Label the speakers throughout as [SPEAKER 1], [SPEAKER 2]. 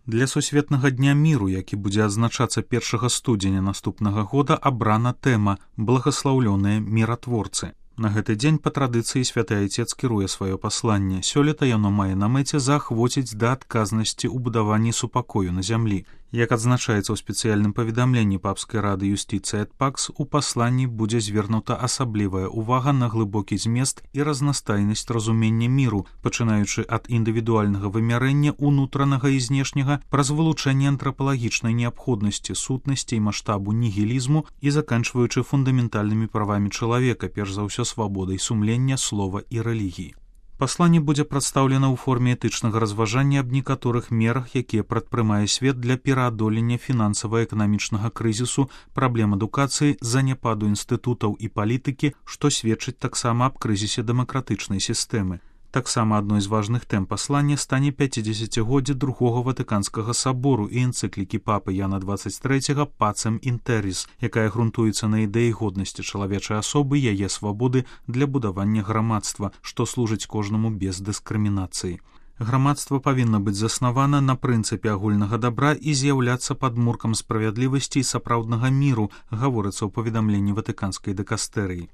[SPEAKER 1] Для сусветнага дня міру, які будзе адзначацца 1 студзеня наступнага года, абрана тэма «Благаслаўлёныя міратворцы». На гэты дзень па традыцыі святы айцец кіруе сваё пасланне. Сёлета яно мае на мэце заахвоціць да адказнасці ў будаванні супакою на зямлі. Як адзначаецца ў спецыяльным паведамленні папскай рады юстыцыі эт пакс, у пасланні будзе звернута асаблівая ўвага на глыбокі змест і разнастайнасць разумення міру, пачынаючы ад індывідуальнага вымярэння унутранага і знешняга праз вылучэнне антрапалагічнай неабходнасці, сутнасці і маштабу нігілізму і заканчваючы фундаментальнымі правамі чалавека, перш за ўсё свабодай сумлення, слова і рэлігіі. Пасланне будзе прадстаўлена ў форме этычнага разважання аб некаторых мерах, якія прадпрымае свет для пераадолення фінансава-эканамічнага крызісу, праблем адукацыі, заняпаду інстытутаў і палітыкі, што сведчыць таксама аб крызісе дэмакратычнай сістэмы. Таксама адной з важных тэм паслання стане 50-годдзе другога Ватыканскага сабору і энцыклікі папы Яна 23 «Пацем інтеріс», якая грунтуецца на ідэі годнасці чалавечай асобы, яе свабоды для будавання грамадства, што служыць кожнаму без дыскрымінацыі. Грамадства павінна быць заснавана на прынцыпе агульнага дабра і з'яўляцца падмуркам справядлівасці і сапраўднага міру, гаворыцца ў паведамленні Ватыканскай дыкастэрыі.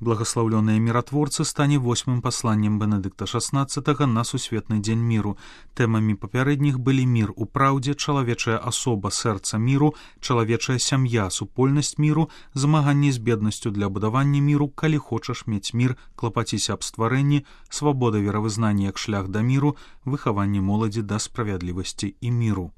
[SPEAKER 1] Благаслаўлёныя міратворцы стане 8-м пасланнем Бенедыкта XVI на сусветны дзень міру. Тэмамі папярэдніх былі мір у праўдзе, чалавечая асоба, сэрца міру, чалавечая сям'я, супольнасць міру, змаганне з беднасцю для будавання міру, калі хочаш мець мір, клапаціся аб стварэнні, свабода веравызнання як шлях да міру, выхаванне моладзі да справядлівасці і міру.